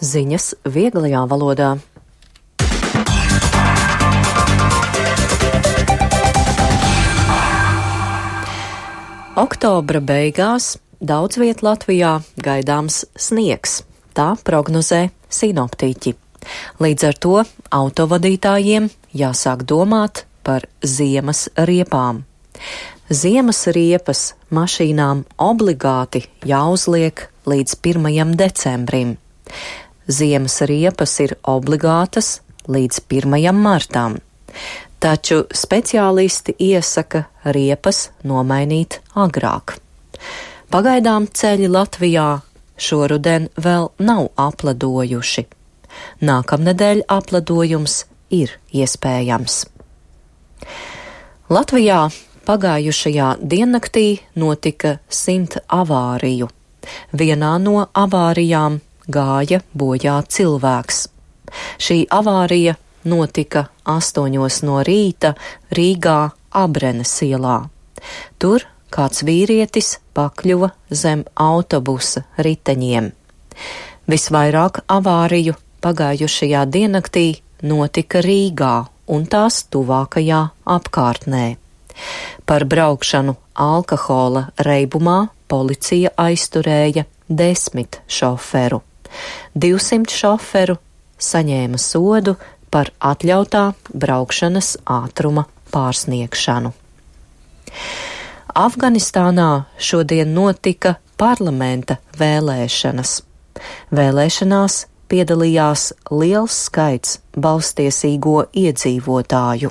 Ziņas vieglajā valodā. Oktobra beigās daudz viet Latvijā gaidāms sniegs. Tā prognozē sinoptiķi. Līdz ar to autovadītājiem jāsāk domāt par ziemas riepām. Ziemas riepas mašīnām obligāti jāuzliek līdz 1. decembrim. Ziemas riepas ir obligātas līdz 1. martam, taču speciālisti iesaka riepas nomainīt agrāk. Pagaidām ceļi Latvijā šoruden vēl nav apledojuši. Nākamnedēļ apledojums ir iespējams. Latvijā pagājušajā diennaktī notika 100 avāriju. Vienā no avārijām gāja bojā cilvēks. Šī avārija notika 8 no rīta Rīgā Abrenes ielā. Tur kāds vīrietis pakļuva zem autobusa riteņiem. Visvairāk avāriju pagājušajā diennaktī notika Rīgā un tās tuvākajā apkārtnē. Par braukšanu alkohola reibumā policija aizturēja 10 šoferu. 200 šoferu saņēma sodu par atļautā braukšanas ātruma pārsniegšanu. Afganistānā šodien notika parlamenta vēlēšanas. Vēlēšanās piedalījās liels skaits balstiesīgo iedzīvotāju.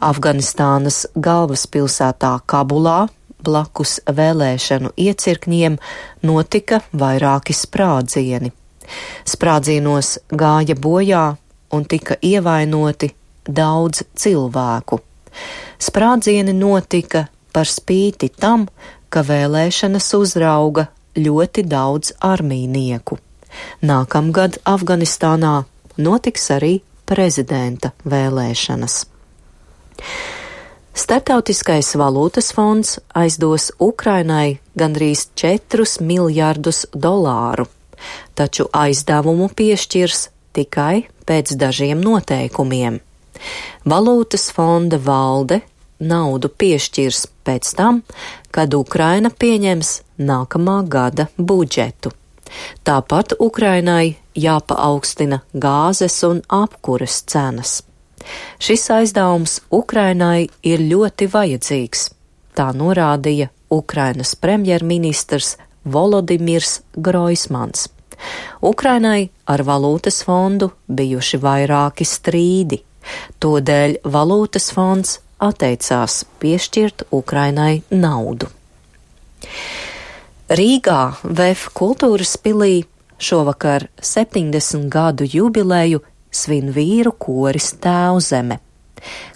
Afganistānas galvaspilsētā Kabulā blakus vēlēšanu iecirkņiem notika vairāki sprādzieni. Sprādzienos gāja bojā un tika ievainoti daudz cilvēku. Sprādzieni notika par spīti tam, ka vēlēšanas uzrauga ļoti daudz armijnieku. Nākamgad Afganistānā notiks arī prezidenta vēlēšanas. Startautiskais valūtas fonds aizdos Ukrainai gandrīz 4 miljardus dolāru, taču aizdevumu piešķirs tikai pēc dažiem noteikumiem. Valūtas fonda valde naudu piešķirs pēc tam, kad Ukraina pieņems nākamā gada budžetu. Tāpat Ukrainai jāpaaugstina gāzes un apkuras cenas. Šis aizdevums Ukrainai ir ļoti vajadzīgs, tā norādīja Ukrainas premjerministrs Volodimirs Groismans. Ukrainai ar valūtas fondu bijuši vairāki strīdi, todēļ valūtas fonds atteicās piešķirt Ukrainai naudu. Rīgā VF kultūras pilī šovakar 70 gadu jubileju svin vīru koris Tēvzeme.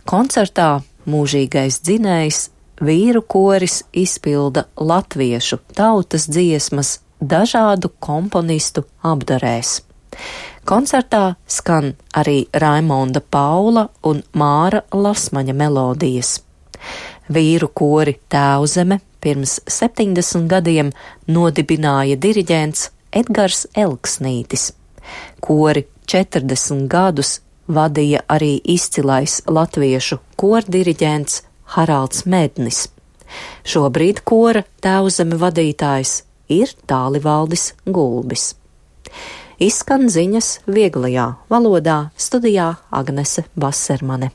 Koncertā mūžīgais dzinējs vīru koris izpilda latviešu tautas dziesmas dažādu komponistu apdarēs. Koncertā skan arī Raimonda Paula un Māra Lasmaņa melodijas. Vīru kori Tēvzeme pirms 70 gadiem nodibināja diriģents Edgars Elksnītis. Kori 40 gadus vadīja arī izcilais latviešu kordiriģents Haralds Mednis. Šobrīd kora Tēvzeme vadītājs ir Tālivaldis Gulbis. Izskan ziņas vieglajā valodā, studijā Agnese Vasermane.